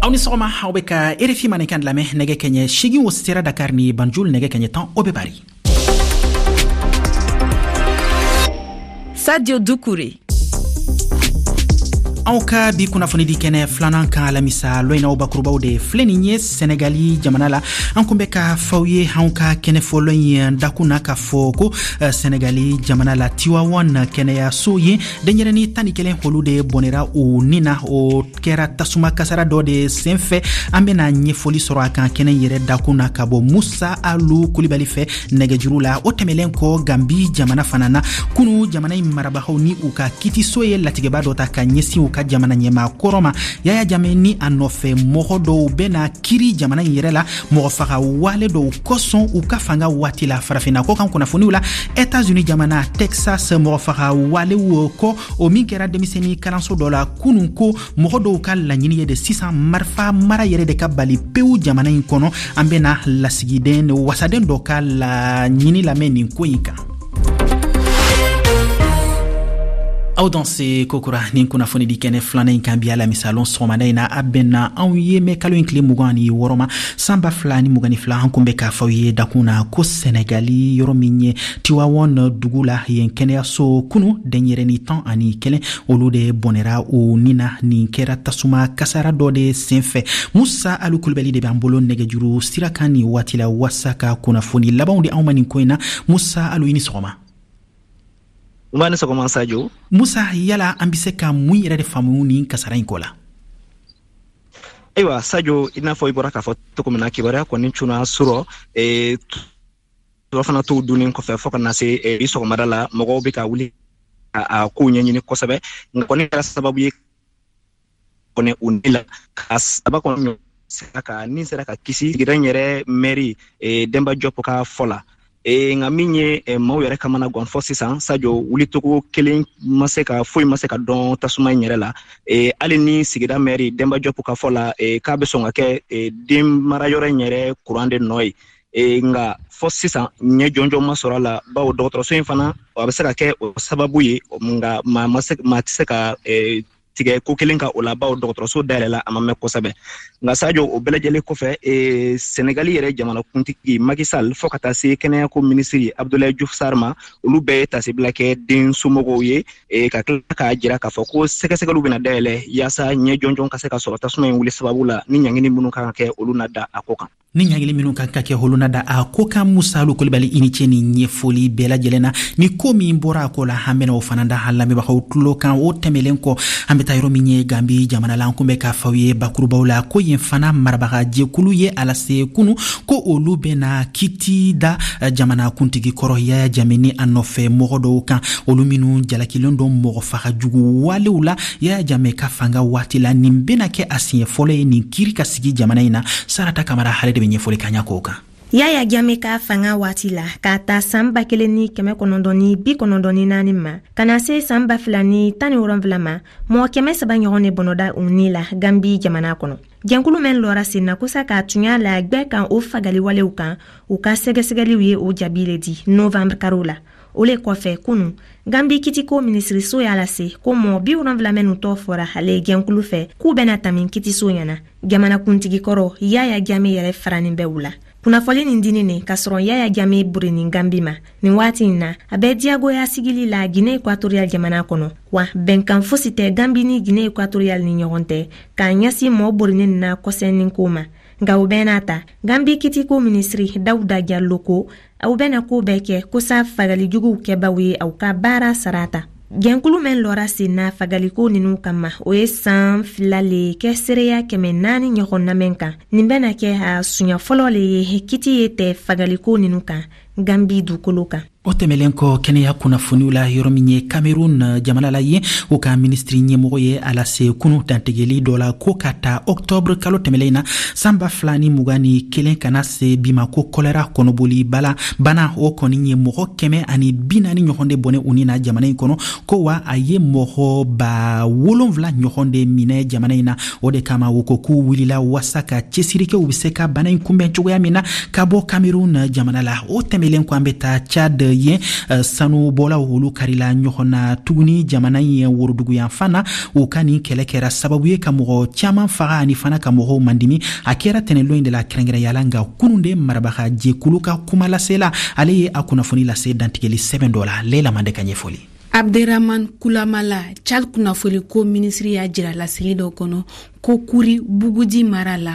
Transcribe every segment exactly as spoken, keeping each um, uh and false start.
Aw ni sɔgɔma, aw bɛ ka R F I Mandenkan lamɛn. Nɛgɛ kɛɲɛ seegin o sera Dakar ni Banjul, nɛgɛ kɛɲɛ tan o bɛ Bari. Sadio Doucouré. Aw ka bi kunnafonidi kɛnɛ filanan kan, alamisa lon in na, bakurubaw de filɛ nin ye. Sɛnɛgali jamana la, an kun bɛ ka faw ye anw ka kɛnɛ fɔlɔ in dakun na k'a fɔ ko Sɛnɛgali jamana la, Tiwawan kɛnɛyaso ye, denɲɛrɛni tan ni kelen olu de bɔnɛra u ni na. O kɛra tasuma kasara dɔ de sen fɛ. An bena ɲɛfɔli sɔrɔ a kan kɛnɛ yɛrɛ dakun na ka bɔ Musa Alu Kulibali fɛ nɛgɛjuru la. O tɛmɛlen kɔ, Gambi jamana fana na, kunu jamana in marabagaw ni u ka kitiso ye latigɛba dɔ ta ka ɲɛsin u ka jamana ɲɛmaa kɔrɔ ma, Yaya Jame ni a nɔfɛ mɔgɔ dɔw bena kiri jamana in yɛrɛ la mɔgɔ faga wale dɔw kosɔn u ka fanga waati la. Farafinna kɔ kan kunnafoniw la, Etats-Unis jamana Texas, mɔgɔ faga walew kɔ o min kɛra denmisɛnnin kalanso dɔ la kunun, ko mɔgɔ dɔw ka laɲini ye de sisan marifa mara yɛrɛ de ka bali pewu jamana in kɔnɔ. An bena lasigiden wasaden dɔ ka laɲini lamɛn nin ko in kan. Aw danse kokura nin kunnafoni di kɛnɛ filanan in kan bi alamisa lon sɔgɔmada in na. A bɛnna anw ye mɛ kalo in tile mugan ani wɔɔrɔ ma, san ba fila ni mugan ni fila. An kun bɛ k'a fɔ ye dakun na ko Sɛnɛgali, yɔrɔ min ye Tiwawɔn dugu la, yen kɛnɛyaso, kunu denɲɛrɛni tan ani kelen olu de bɔnɛra u ni na. Nin kɛra tasuma kasara dɔ de sen fɛ. Musa Alu Kulubali de b'an bolo nɛgɛjuru sira kan nin waati la waasa ka kunnafoni labanw di anw ma nin ko in na. Musa Alu, i ni sɔgɔma. Nba ni sɔgɔma, Sajo. Musa, yala an be se ka mun yɛrɛ de faamu nin kasara in ko la? Ayiwa Sajo, i n'a fɔ i bɔra k'a fɔ cogo min na, kibaruya kɔni cunna surɔ e, fana t'o dunnen kɔfɛ fɔɔ ka na se e, bi sɔgɔmada la, mɔgɔw bɛ ka wuli a kow ɲɛɲini kosɛbɛ. Nka kɔni kɛra sababu ye kɔni u ni la ka saba kɔni sera ka ni sera ka kisi, sigida in yɛrɛ mɛri e, Denba Jɔp ka fɔ la. E, nka min ye e, maaw yɛrɛ kamana gan fɔ sisan Sajo, wulicogo kelen ma se ka foyi ma se ka dɔn tasuma in yɛrɛ la. e, hali ni sigida mɛri Denba Jɔp ka fɔ la, e, k'a bɛ sɔn ka kɛ e, den marayɔrɔ in yɛrɛ kuran de nɔ ye. e, nka fɔ sisan ɲɛ jɔnjɔn ma sɔrɔ a la, bawo dɔgɔtɔrɔso in fana a bɛ se ka kɛ o sababu ye, nka maa ma se maa tɛ se ka e, tigɛ ko kelen ka o la, bawo dɔgɔtɔrɔso dayɛlɛla a ma mɛn kosɛbɛ. Nka Sajo, o bɛɛ lajɛlen kɔfɛ, e, Senegali yɛrɛ jamanakuntigi Macky Sall fɔɔ ka taa se kɛnɛyako minisiri Abdoulaye Diouf Sarr ma, olu bɛɛ ye tasibila kɛ den somɔgɔw ye, e, ka tila k'a jira k'a fɔ ko sɛgɛsɛgɛliw bɛna dayɛlɛ yaasa ɲɛ jɔnjɔn ka se ka sɔrɔ tasuma in wuli sababu la, ni ɲangini minnu kan ka kɛ, olu na da a ko kan. Ni ɲangili minnu kan ka kɛ, olu na da a ko kan. Musa Alu Kulibali, i ni ce ni ɲɛfɔli bɛɛ lajɛlen na. Ni ko min bɔra a ko la, an bena o fana da an lamɛnbagaw tulo kan. O tɛmɛlen kɔ, an be taa yɔrɔ min ye Gambi jamana la. An kun bɛ k'a fɔ ye bakurubaw la ko yen fana marabaga jɛkulu ye a lase kunu ko olu bena kiti da jamana kuntigi kɔrɔ Yaya Jame ni a nɔfɛ mɔgɔ dɔw kan, olu minnu jalakilen don mɔgɔ faga jugu walew la Yaya Jame ka fanga waati la. Nin bena kɛ a siɲɛ fɔlɔ ye nin kiri ka sigi jamana in na. Sarata Kamara ale de be ɲɛfɔli ka ɲa k'o kan. Yaya Jame ka fanga waati la, k'a ta saan ba kelen ni kɛmɛ kɔnɔntɔn ni bi kɔnɔntɔn ni naani ma ka na se saan ba fila ni tan ni wolonfila ma, mɔgɔ kɛmɛ saba ɲɔgɔn de bɔnɔda u ni la Gambi jamana kɔnɔ. Jɛnkulu mɛn lɔra sen na kosa k'a tunya la gwɛ kan o fagaliwalew kan, u ka sɛgɛsɛgɛliw ye o jaabi le di novanbre karo la. O le kɔfɛ, kunu Gambi kitiko minisiriso y'a lase ko mɔgɔ bi wolonfila minnu tɔ fɔra ale jɛnkulu fɛ k'u bɛna tami kitiso ɲɛna, jamanakuntigi kɔrɔ Yaya Jame yɛrɛ faranin bɛ u la. Kunnafoli nin dini ne k'a sɔrɔ Yaya Jame burenin Gambi ma. Nin waati in na, a bɛ diyagoya sigili la Guinée Équatoriale jamana kɔnɔ, wa bɛnkan fosi tɛ Gambi ni Guinée Équatoriale ni ɲɔgɔn tɛ k'a ɲɛsin mɔɔ borinin na kɔsɛnin ko ma. Nka o bɛɛ n'a ta, Gambi kitiko minisiri Dawuda Jallo ko aw bɛna ko bɛɛ kɛ kosa fagalijuguw kɛbaw ye aw ka baara sara ta. Jɛnkulu mɛn lɔra sen na fagaliko ninu kama, o ye saan fila le kɛ seereya kɛmɛ naani ɲɔgɔn namɛn kan. Nin bɛna kɛ a suɲa fɔlɔ le ye kiti ye tɛ fagaliko ninu kan Gambi dugukolo kan. O tɛmɛlen kɔ, kɛnɛya kunnafoniw la, yɔrɔ min ye Cameroun jamana la, ye o ka minisiri ɲɛmɔgɔ ye a lase kunu dantigɛli dɔ la ko ka ta octobre kalo tɛmɛlen na, san ba fila ni mugan ni kelen ka na se bi ma, ko kɔlɛra, kɔnɔboli bala bana, o kɔni ye mɔgɔ kɛmɛ ani bi naani ɲɔgɔn de bɔnɛ u ni na jamana in kɔnɔ, ko wa a ye mɔgɔ ba wolonfila ɲɔgɔn de minɛ jamana in na. O de kama u ko k'u wulila waasa ka cɛsiri kɛ, u be se ka bana in kunbɛn cogoya min na. Ka bɔ Cameroun jamana la, o tɛmɛlen tɛmɛlen kɔ, an bɛ taa Tchad. Yen sanubɔlaw olu karila ɲɔgɔn na tuguni jamana in woroduguyanfan na. U ka nin kɛlɛ kɛra sababu ye ka mɔgɔ caman faga ani fana ka mɔgɔw mandimi. A kɛra tɛnɛlon in de la kɛrɛnkɛrɛnya, nka kunun de marabaga jɛkulu ka kuma lasela, ale ye a kunnafoni lase dantigɛli sɛbɛn dɔ la. Leila Mande ka ɲɛfɔli. Abderrahman Kulamala, Tchad kunnafoliko minisiri, y'a jira laseli dɔ kɔnɔ ko Kuri Bugudi mara la,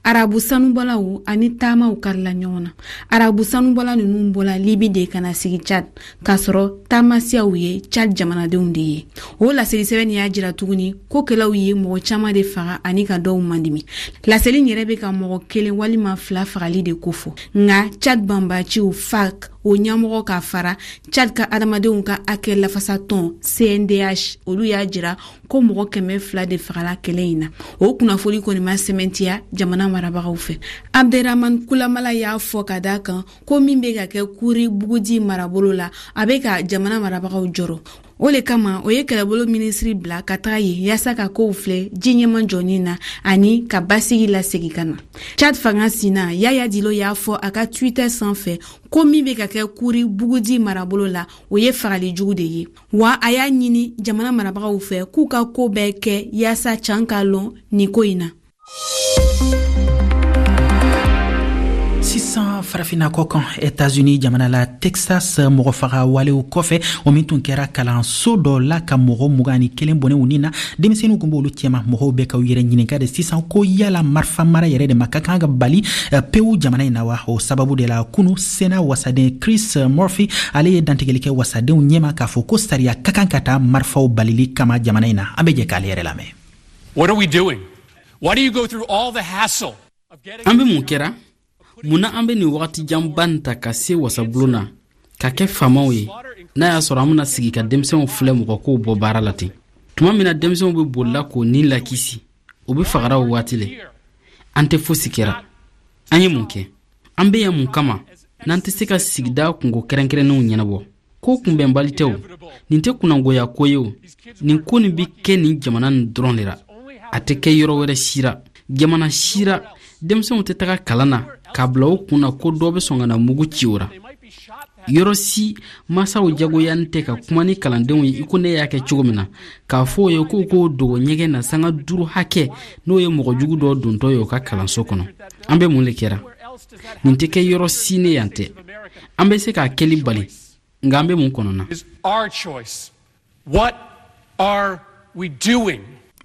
arabu sanubɔlaw ani taamaw karila ɲɔgɔn na. Arabu sanubɔla ninnu bɔla Libi de ka na sigi Tchad, k'a sɔrɔ taamasiyaw ye Tchad jamanadenw de ye. O laseli sɛbɛn y'a jira tuguni ko kɛlɛw ye mɔgɔ caman de faga ani ka dɔw mandimi. Laseli yɛrɛ bɛ ka mɔgɔ kelen walima fila fagali de kofɔ, nka Tchad banbaciw F A C o ɲɛmɔgɔ ka fara Tchad ka adamadenw ka hakɛ lafasatɔn C N D H, olu y'a jira ko mɔgɔ kɛmɛ fila de fagala kɛlɛ in na. O kunnafoni kɔni ma sɛmɛntiya jamana marabagaw fɛ. Abderrahman Kulamala y'a fɔ ka da kan ko min bɛ ka kɛ Kuri Bugudi marabolo la, a bɛ ka jamana marabagaw jɔrɔ. O le kama o ye kɛlɛbolo minisiri bila ka taga yen yaasa ka kow filɛ ji ɲɛma jɔni na ani ka basigi lasegi ka na. Chad fanga sina Yaya Dilo y'a fɔ a ka Twitter sanfɛ ko min bɛ ka kɛ Kuri Bugudi marabolo la, o ye fagali jugu de ye, wa a y'a ɲini jamana marabagaw fɛ k'u ka ko bɛɛ kɛ yaasa can ka lɔn nin ko in na. Sisan Farafina kɔ kan, Etats-Unis jamana la, Texas, mɔgɔfaga walew kɔfɛ, o min tun kɛra kalanso dɔ la ka mɔgɔ mugan ni kelen bɔnɛ u ni na, denmisɛnninw kun b'olu cɛma, mɔgɔw bɛ ka u yɛrɛ ɲininka de sisan ko yala marifa mara yɛrɛ de ma ka kan ka bali pewu jamana in na wa? O sababu de la, kunu Sena wasaden Chris Murphy, ale ye dantigɛli kɛ wasadenw ɲɛma k'a fɔ ko sariya ka kan ka taa marifaw balili kama jamana in na. An bɛ jɛ k'ale yɛrɛ lamɛn. What are we doing? Why do you go through all the hassle? An bɛ mun kɛra? Mun na an bɛ nin wagati janba nin ta ka se wasabulon na ka kɛ faamaw ye, n'a y'a sɔrɔ an bena sigi ka denmisɛnw filɛ mɔgɔkow bɔ baara la ten? Tuma min na denmisɛnw be bolila k'o nin lakisi, o be fagara o waati le. An tɛ fosi kɛra. An ye mun kɛ? An be yan mun kama n'an tɛ se ka sigida kungo kɛrɛnkɛrɛnnenw ɲɛnabɔ? Ko kunbɛnbali tɛ o. Nin tɛ kunnangoya ko ye o. Nin ko nin be kɛ nin jamana nin dɔrɔn de ra, a tɛ kɛ yɔrɔ wɛrɛ si ra, jamana si ra. Denmisɛnw tɛ taga kalan na k'a bila o kun na ko dɔ bɛ sɔn ka na mugu ci o ra. Yɔrɔ si masaw jagoyanin tɛ ka kuma ni kalandenw ye i ko ne y'a kɛ cogo min na, k'a fɔ o ye k'u k'o dogo ɲɛgɛn na sanga duuru hakɛ, n'o ye mɔgɔ jugu dɔ dontɔ ye o ka kalanso kɔnɔ. An bɛ mun le kɛra? Nin tɛ kɛ yɔrɔ si ne yan tɛ. An bɛ se k'a kɛli bali, nka an bɛ mun kɔnɔ na? What are we doing?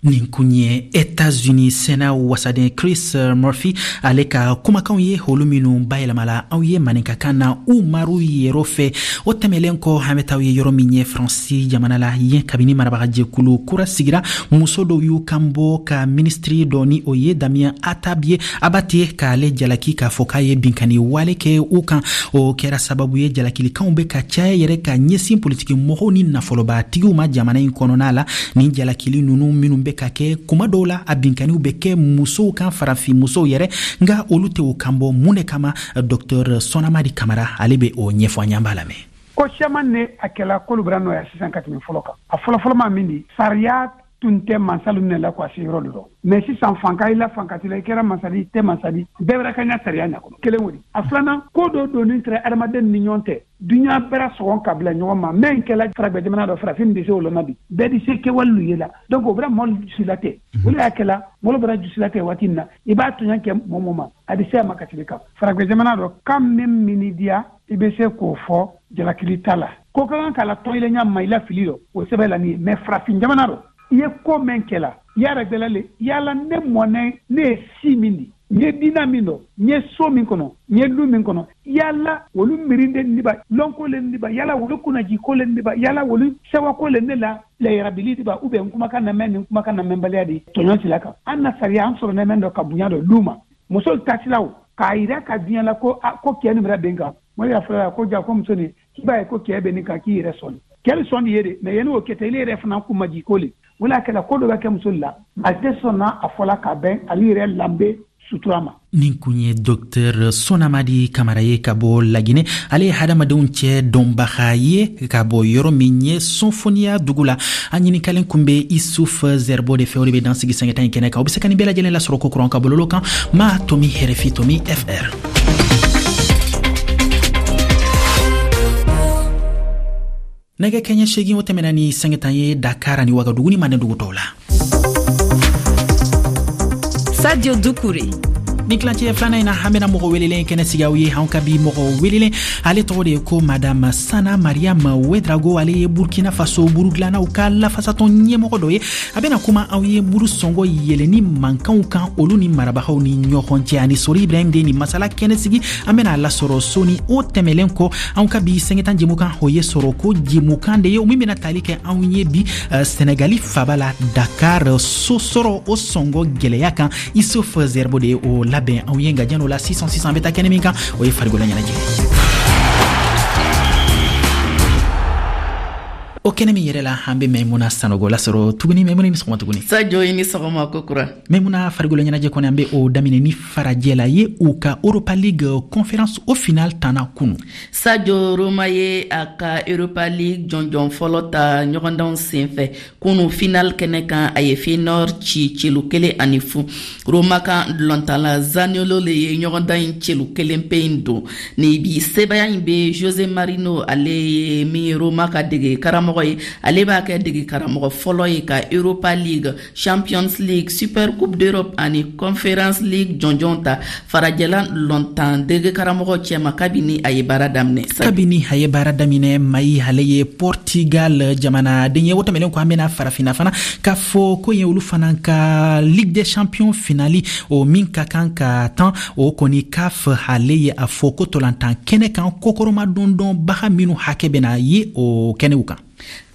Nin kun ye Etats-Unis Sena wasaden Chris Murphy, ale ka kumakanw ye, olu minnu bayɛlɛmala aw ye maninkakan na Umaru Yɛrɔ fɛ. O tɛmɛlen kɔ, an bɛ taa ye yɔrɔ min ye, Faransi jamana la. Yen, kabini marabagajɛkulu kura sigira, muso dɔw y'u kan bɔ ka minisitiri dɔ, ni o ye Damien Atab ye, Abate, k'ale jalaki k'a fɔ k'a ye binkani wale kɛ u kan. O kɛra sababu ye jalakilikanw bɛ ka caya yɛrɛ ka ɲɛsin politiki mɔgɔw ni nafolobatigiw ma jamana in kɔnɔna la. Nin jalakili ninnu minnu bɛ ka kɛ, kuma dɔw la a binkaniw bɛ kɛ musow kan, farafin musow yɛrɛ, nka olu tɛ o kan bɔ. Mun de kama? Docteur Sɔnamadi Kamara, ale bɛ o ɲɛfɔ an ye, an b'a lamɛn. Ko siaman ne a kɛla k'olu bɛra nɔya sisan ka tɛmɛ fɔlɔ kan. A fɔlɔfɔlɔ ma min di, sariya tun tɛ mansalu ne la ko a se yɔrɔ de rɔ, mais sisan fanka i la, fanka t'i la, i kɛra masadi, i tɛ masadi, bɛɛ bɛra ka ɲa sariya ɲa kɔnɔ. Kelen o di. A filanan, ko dɔ donni tɛrɛ adamaden ni ɲɔgɔn tɛ, duɲa bɛra sɔgɔn ka bila ɲɔgɔn ma. Mɛn kɛla faragwɛ jamana dɔ, farafin de se o lɔnna bi, bɛɛ di se kɛwale ye la. Donc o bɛra mɔlu jusila tɛ, o le y'a kɛla mɔlu bɛra jusila tɛ. Waati min na i b'a tɔɲɔ kɛ mɔgɔ mɔ ma, a bɛ se a ma ka tɛmɛ kan. Faragwɛ jamana dɔ kan, min mini diya, i bɛ se k'o fɔ jalakili t'a la, ko ka kan k'a la tɔn ɲa ma i la fili dɔ, o sɛbɛn la nin ye. Mais farafin jamana dɔ, i ye ko mɛn kɛla yara gbɛlɛ le yala ne mɔnɛ, ne ye si min di, n ye dina min dɔn, n ye so min kɔnɔ, n ye lu min kɔnɔ, yala olu mirinde niba lɔnko le niba, yala olu kunnaji ko le niba, yala olu sɛwako le ne la layarabili diba, ou bien n kumakan na mɛn ni n kumakan na mɛnbaliya de tɔɲɔ sila kan. An na sariya an sɔrɔ nɛmɛn dɔ ka bonya dɔ lu ma muso tasilaw k'a yira ka diɲɛ la ko ko kɛ nin bɛra bɛn kan. Mɔgɔ y'a fɔra ko ja ko muso nin k'i b'a ye ko kɛ bɛ nin kan, k'i yɛrɛ sɔnni kɛ bɛ sɔn ye de, mais yanni o kɛ tɛ, ile yɛrɛ fana kun maji ko le wala kɛla ko dɔ bɛ kɛ muso la, a tɛ sɔnna a fɔla ka bɛn ale yɛrɛ lanbe sutura ma. Nin kun ye Docteur Sonamadi Kamara ye ka bɔ Laginɛ. Ale ye hadamadenw cɛ dɔnbaga ye ka bɔ yɔrɔ min ye Sɔnfoniya dugu la. A ɲinikalen kun bɛ Isuf Zɛribo de fɛ. O de bɛ dan sigi sɛgɛta in kɛnɛ kan. O be se ka nin bɛɛ lajɛlen lasɔrɔ ko kuran ka bololo kan ma tomi R F I tomi F R. Nɛgɛ kɛɲɛ seegin o tɛmɛna ni sanga tan ye Dakar ani Wagadugu ni Manden dugu tɔw la. Sadio Doucouré. Ni tilancɛ filanan in na, an bena mɔgɔ welelen kɛnɛ sigi aw ye. Anw ka bi mɔgɔ welelen, ale tɔgɔ de ye ko Madame Sana Mariam Wedrago. Ale ye Burkina Faso burudilannaw ka lafasatɔn ɲɛmɔgɔ dɔ ye. A bena kuma aw ye buru sɔngɔ yɛlɛni mankanw kan olu ni marabagaw ni ɲɔgɔn cɛ. Ani Sori Ibrahim de ni masala kɛnɛ sigi, an bena a lasɔrɔ soni. O tɛmɛlen kɔ, anw ka bi sɛngɛtan jɛmukan, o ye sɔrɔ ko jɛmukan de ye, o min bena tali kɛ anw ye bi Senegali faba la Dakar, so sɔrɔ o sɔngɔ gwɛlɛya kan. Issouf Zerbo de ye o labɛn anw ye. Nka jan'o la, sisan sisan an bɛ taa kɛnɛ min kan, o ye farikolo ɲɛnajɛ. O kɛnɛ min yɛrɛ la, an bɛ Maimuna Sanogo lasɔrɔ tuguni. Maimuna, ni sɔgɔma tuguni. Sadio, i ni sɔgɔma kokura. Maimuna, farikolo ɲɛnajɛ kɔni, an bɛ o daminɛ ni farajɛ la ye u ka Europa League conférence o final tanna kunu. Sadio, Roma ye a ka Europa League jɔnjɔn fɔlɔ ta ɲɔgɔndanw senfɛ kunu final kɛnɛ kan. A ye Feyenoord ci celu kelen ani fu. Roma ka dɔlɔntala Zaniolo le ye ɲɔgɔndan in celu kelen pe in don. Ni bi sebaya in bɛ Jose Mourinho, ale ye min ye Roma ka dege karamɔgɔ ye, ale b'a kɛ dege karamɔgɔ fɔlɔ ye ka Europa League, Champions League, Super Coupe d'Europe ani Conference League jɔnjɔn ta farajɛla lɔntan dege karamɔgɔ cɛma kabini a ye baara daminɛ. Kabini a ye baara daminɛ. Mayi, ale ye Portugal jamanaden ye. O tɛmɛnen kɔ, an bɛna farafinna fana k'a fɔ ko ye olu fana ka Ligue des Champions finali o min ka kan ka tan, o kɔni C A F ale ye a fɔ ko tolantan kɛnɛ kan kokɔrɔma dɔndɔnbaga minnu hakɛ bɛna ye o kɛnɛw kan.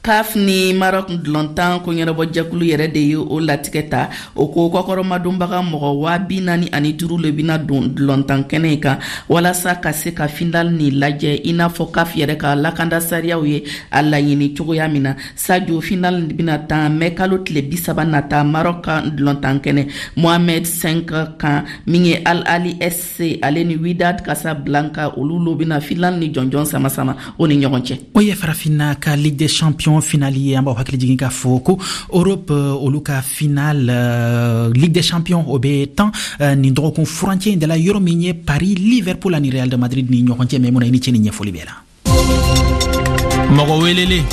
C A F ni Maroc dɔlɔntan ko ɲɛnabɔ jɛkulu yɛrɛ de ye o latigɛ ta. O ko kɔkɔrɔmadonbaga mɔgɔ waa bi naani ani duuru le bɛna don dɔlɔntan kɛnɛ in kan walasa ka se ka final ni lajɛ, i n'a fɔ C A F yɛrɛ ka lakanda sariyaw ye a laɲini cogoya min na. Sadio, final bɛna tan mɛ kalo tile bi saba nata Maroc ka dɔlɔntan kɛnɛ Mohamed cinq kan. Min ye Al Ali S C, ale ni Wydad Casablanca, olu lo bɛna final ni jɔnjɔn sama sama o ni ɲɔgɔn cɛ. O ye farafinna ka Ligue des Champions finale ye. An b'aw hakili jigin k'a fɔ ko Europe olu ka finale uh, Ligue des Champions o bɛ tan uh, nin dɔgɔkun furancɛ in de la, yɔrɔ min ye Paris, Liverpool ani Real de Madrid ni ɲɔgɔn cɛ. Maimuna, i ni ce ni ɲɛfɔli bɛɛ la. Mɔgɔ welelen.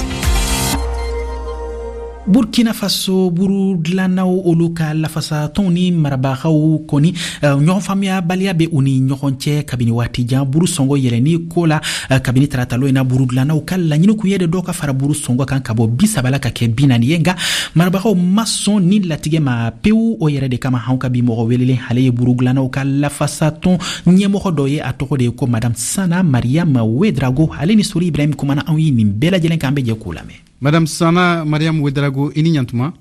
Burkina Faso buru dilannaw olu ka lafasatɔnw ni marabagaw kɔni, ɲɔgɔn faamuyabaliya bɛ u ni ɲɔgɔn cɛ kabini waati jan buru sɔngɔ yɛlɛnni ko la. Kabini taratalo in na, buru dilannaw ka laɲini kun ye de dɔw ka fara buru sɔngɔ kan ka bɔ bi saba la ka kɛ bi naani ye, nka marabagaw ma sɔn ni latigɛ ma pewu. O yɛrɛ de kama, anw ka bi mɔgɔ welelen, ale ye buru dilannaw ka lafasatɔn ɲɛmɔgɔ dɔ ye, a tɔgɔ de ye ko Madame Sana Mariam Wedrago. Ale ni Sori Ibrahim kumana anw ye nin bɛɛ lajɛlen kan. An bɛ jɛ k'o lamɛn. Madame Sana Mariam Wedrago, i ni ɲantuma.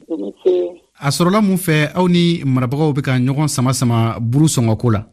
A sɔrɔla mun fɛ aw ni marabagaw bɛ ka ɲɔgɔn sama sama buru sɔngɔ ko la?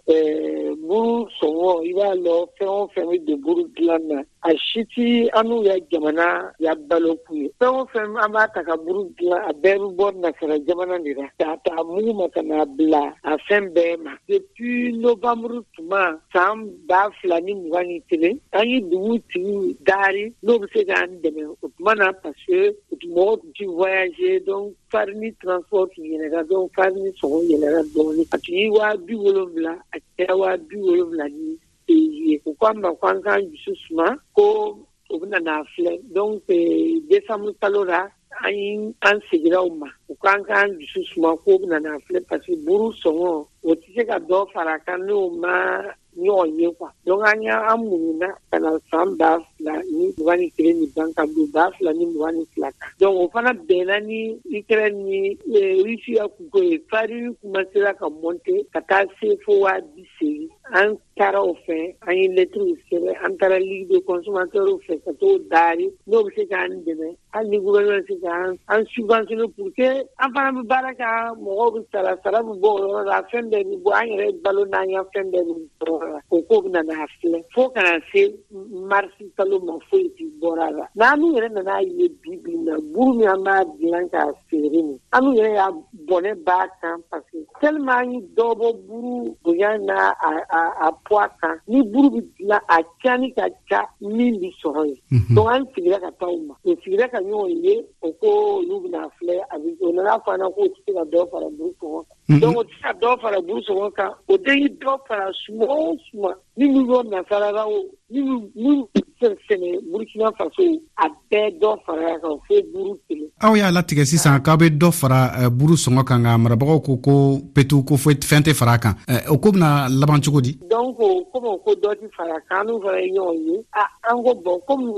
Buru sɔngɔ, i b'a lɔ, fɛn o fɛn bɛ don buru dilan na, a si ti an n'u ya jamana ya balo kun ye. Fɛn o fɛn an b'a ta ka buru dilan, a bɛɛ bɛ bɔ nasara jamana de la, k'a ta mugu ma ka n'a bila a fɛn bɛɛ ma. Depuis novembre tuma san ba fila ni mugan ni kelen, an ye dugu tigiw daari n'o bɛ se k'an dɛmɛ o tuma na, parce que mɔgɔw tun ti voyager, donc farini transport tun yɛlɛra, donc farini sɔngɔ yɛlɛra dɔɔnin. A tun ye waa bi wolonwula, a kɛra waa bi wolonwula ni ye. U ko an ma ko an k'an dusu suma, ko u bɛna n'a filɛ. Donc décembre kalo la, an ye an seginna u ma, u k'an k'an dusu suma, k'o bɛna n'a filɛ, parce que buru sɔngɔ, o tɛ se ka dɔ fara a kan n'o ma ɲɔgɔn ye quoi. Donc an y'an muɲuna ka na san ba fila ni mugan ni kelen ni ban ka don ba fila ni mugan ni fila kan. Donc o fana bɛnna ni Ukraine ni Russie ya kunko ye. Farine commencera ka monter ka taa se fo waa bi seegin. An taara o fɛ, an ye lettres sɛbɛn, an taara Ligue de consommateurs fɛ ka t'o daari n'o bɛ se k'an dɛmɛ, hali ni gouvernement bɛ se k'an an subventionner pour que an fana bɛ baara kɛ, mɔgɔw bɛ sara, sara bɛ bɔ o yɔrɔ la, fɛn bɛɛ bɛ bɔ, an yɛrɛ balo n'an ya fɛn bɛɛ bɛ bɔ o yɔrɔ la. O ko bɛ na n'a filɛ fo ka na se marisi kalo ma, foyi ti bɔra a la. N'an yɛrɛ nana ye bi bi in na, buru min an b'a dilan k'a feere nin, an yɛrɛ y'a bɔnɛ b'a kan, parce que tellement an ye dɔ bɔ buru bonya n'a a a a poids kan, ni buru bɛ dilan, a cani ka ca min bɛ sɔrɔ yen. Donc an sigira ka taa u ma, o sigira ka ɲɔgɔn ye, o ko olu bɛna filɛ. A bɛ o nana fɔ an na k'o tɛ se ka dɔ fara buru sɔngɔ kan. Donc o tɛ se ka dɔ fara buru sɔngɔ kan, o tɛ dɔ fara suma o suma ni min bɔ nasara la o. minnu minnu sɛnɛ Burkina Faso, a bɛɛ dɔ fara kan fo buru kelen. Aw y'a latigɛ sisan k'aw bɛ dɔ fara buru sɔngɔ kan, nka marabagaw ko ko petu ko foyi fɛn tɛ fara a kan. O ko bɛna laban cogo di? Donc komi ko dɔ tɛ fara kan, an fana ye ɲɔgɔn ye, an ko bon, komi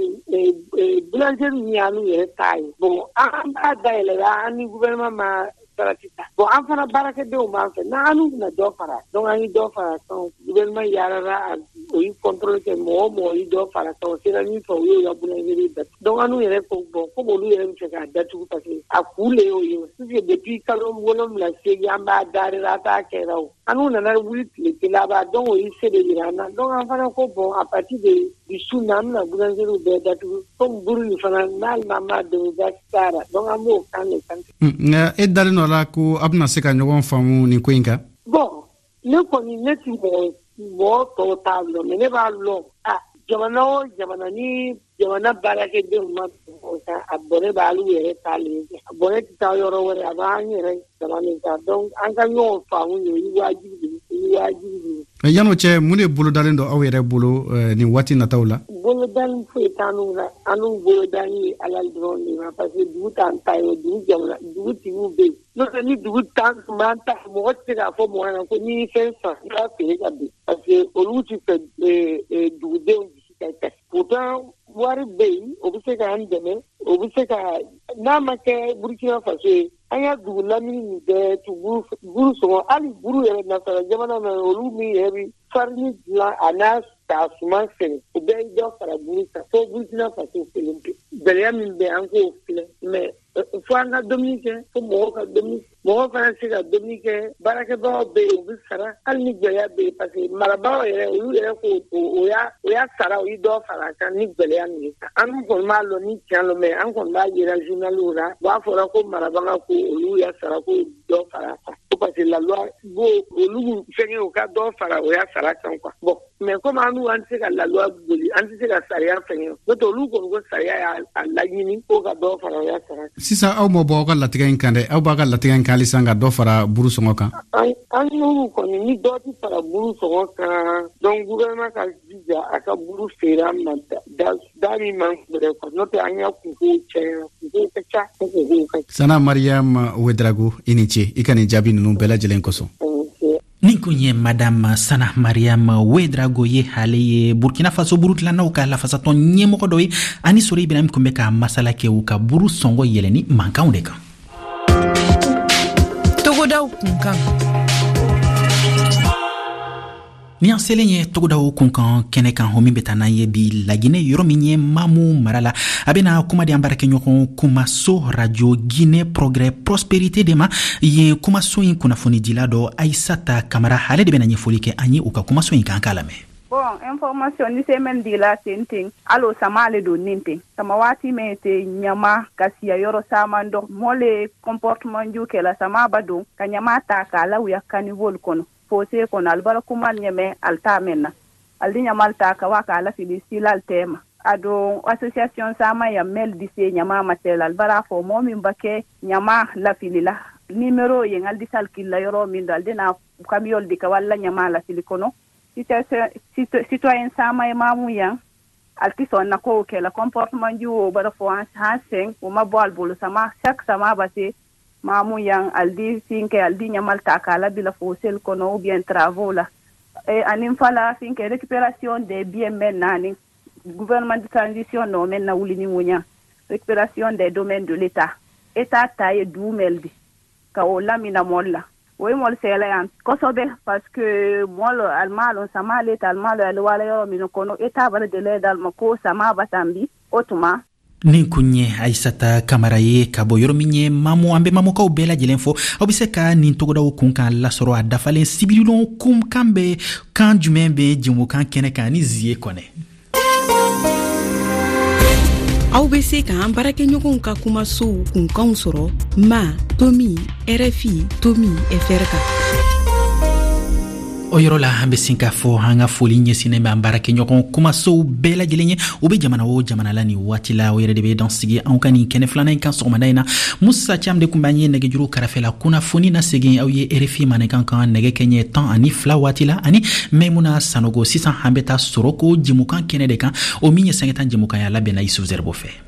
boulangerie min y'an yɛrɛ ta ye, bon, an b'a dayɛlɛ an ni gouvernement ma sarati ta. Bon, an fana baarakɛdenw b'an fɛ, n'an bɛna dɔ fara, donc an ye dɔ fara kan. Gouvernement yaalala, o ye contrôle kɛ, mɔgɔ o mɔgɔ ye dɔ fara kan, o sera min fɛ, u y'o ka boulangerie datugu. Donc an yɛrɛ ko bon, komi olu yɛrɛ bɛ fɛ k'a datugu, parce que a kun de y'o ye, puisque depuis kalo wolonwula seegin an b'a darila, a t'a kɛra o. An n'u nana wuli tile kelen a b'a donc o ye se de yira an na. Donc an fana ko bon, à partir de bi su na, an bɛna boulangerie bɛɛ datugu, komi buru nin fana n'ale ma m'a dɛmɛ baasi t'a la. Donc an b'o kan de kan. Nka e dalen dɔ la ko a bɛna se ka ɲɔgɔn faamu nin ko in kan? Bon, ne kɔni ne ti mɔgɔ mɔgɔ tɔw t'a lɔn, mais ne b'a lɔn, a jamana o jamana ni jamana baarakɛdenw ma o kan, a bɔnɛ b'alu yɛrɛ ta le, a bɔnɛ tɛ taa yɔrɔ wɛrɛ, a b'an yɛrɛ dama de ta. Donc an ka ɲɔgɔn faamu ye, o ye wajibi de ye, o ye wajibi de ye. Yan'o cɛ, mun de bolodalen don aw yɛrɛ bolo nin waati nataw la? Bolodali foyi t'an la, an n'u bolodali ye Ala dɔrɔn de ma, parce que dugu t'an ta ye, dugu jamana dugutigiw bɛ yen. N'o tɛ ni dugu t'an tun b'an ta, mɔgɔ tɛ se k'a fɔ mɔgɔ ɲɛna ko n'i ye fɛn san i b'a feere ka bin, parce que olu ti fɛ dugudenw dusu ka kasi. Pourtant wari bɛ yen, o bɛ se k'an dɛmɛ, o bɛ se ka n'a ma kɛ Burkina Faso ye, an ka dugu lamini nin bɛɛ tu buru sɔngɔ, hali buru yɛrɛ nasara jamana na, olu min yɛrɛ bɛ farini dilan a n'a k'a suman sɛnɛ, o bɛɛ ye dɔ fara buru kan fo Burkina Faso kelen pe. Gɛlɛya min bɛ an k'o filɛ, mais fo an ka dumuni kɛ, fo mɔgɔw ka dumuni, mɔgɔw fana se ka dumuni kɛ, baarakɛbagaw bɛ yen, u bɛ sara hali ni gɛlɛya bɛ yen, parce que marabagaw yɛrɛ olu yɛrɛ ko o y'a o y'a sara, o ye dɔ fara a kan ni gɛlɛya min ye. An kɔni b'a lɔn ni tiɲɛ lɔ, mais an kɔni b'a yira journaliw la, u b'a fɔra ko marabaga ko olu y'a sara ko dɔ fara a kan, ko parce que la loi b'o olu fɛngɛ u ka dɔ fara o y'a sara kan quoi. Bon, mais comme an n'u an tɛ se ka la loi boli, an tɛ se ka sariya fɛngɛ, n'o tɛ olu kɔni ko sariya y'a laɲini ko ka dɔ fara o y'a sara. Sisan aw ma bɔ aw ka latigɛ in kan dɛ, aw b'a ka latigɛ in kan halisa ka dɔ fara buru sɔngɔ kan? An an n'olu kɔni ni dɔ tɛ fara buru sɔngɔ kan, donc gouvernement ka jija a ka buru feere an ma da da min man gɛlɛn quoi, n'o tɛ an ka kunkow caya, kunkow ka ca, kunkow ka ca. Sana Mariam Ouedraogo, i ni ce i ka nin jaabi ninnu bɛɛ lajɛlen kosɔn. Nin kun ye Madame Sana Mariam Ouedraogo ye, ale ye Burkina Faso buru dilannaw ka lafasatɔn ɲɛmɔgɔ dɔ ye. Ani Sori Ibrahim kun bɛ ka masala kɛ u ka buru sɔngɔ yɛlɛni mankanw de kan. Togodaw kunkan. Ni an selen ye togodaw kunkan kɛnɛ kan, o min bɛ taa n'an ye bi Laginɛ, yɔrɔ min ye Mamu mara la, a bɛna kuma di an baarakɛɲɔgɔn Kumaso Radio Guinée Progrès Prospérité de ma. Yen kumaso in kunnafonidila dɔ Aissata Kamara, ale de bɛna ɲɛfɔli kɛ an ye u ka kumaso in kan, k'a lamɛn. Bon, information ni semaine dila ten ten alo sama ale do nin ten sama waati men te ɲama ka siya yɔrɔ saman dɔ mɔle le comportement ju kɛla sama ba don ka ɲama ta k'a lawuya caniveau kɔnɔ fossé kɔnɔ alibara kumal ɲɛmɛ alta men na aldi ɲamal ta ka wa k'a lafili silal tema ado association sama ya mel dise ɲama matel albara fo mɔ min ba kɛ ɲama lafili la numéro ye aldi salkila yɔrɔ min do aldi na camion di ka walla ɲama lafili kɔnɔ citoyen sama ye mamu yan alti sɔn na kow kɛ la comportement ju o bara fo han sen o ma bɔ al bolo sama chaque sama ba se mamu yan aldi finke aldi ɲamal ta k'a labila fossé kɔnɔ ou bien travaux la e anin fala finke récupération des biens men nani gouvernement de transition no men na wuli ni ŋoɲa récupération des domaines de l'état état ta ye duumel di ka o lamina mɔl la o ye mɔl sɛgɛla yan kosɛbɛ parce que mɔl almalon sama le ta almalo ale wala yɔrɔ min kɔnɔ état bara délai d'al ma ko sama batambi o tuma. Nin kun ye Aissata Kamara ye ka bɔ yɔrɔ min ye Mamu. An bɛ Mamukaw bɛɛ lajɛlen fo. Aw bɛ se ka nin togodaw kun kan lasɔrɔ a dafalen sibiridon kun kan bɛ kan jumɛn bɛ jɛmukan kɛnɛ kan ni Zie Kɔnɛ. Aw bɛ se k'an baarakɛɲɔgɔnw ka kumasow kunkanw sɔrɔ ma tomi R F I tomi F R kan. O yɔrɔ la, an bɛ sin k'a fɔ an ka foli ɲɛsinnen bɛ an baarakɛɲɔgɔn kumasow bɛɛ lajɛlen ye, u bɛ jamana o jamana la nin waati la. O yɛrɛ de bɛ dan sigi anw ka nin kɛnɛ filanan in kan sɔgɔmada in na. Musa Cam de tun b'an ye nɛgɛjuru kɛrɛfɛ la. Kunnafoni na segin aw ye R F I mandenkan kan nɛgɛ kɛɲɛ tan ani fila waati la, ani Maimuna Sanogo. Sisan an bɛ taa sɔrɔ ko jɛmukan kɛnɛ de kan, o min ye sɛgɛtan jɛmukan ye, a labɛnna Yusuf Zɛribo fɛ.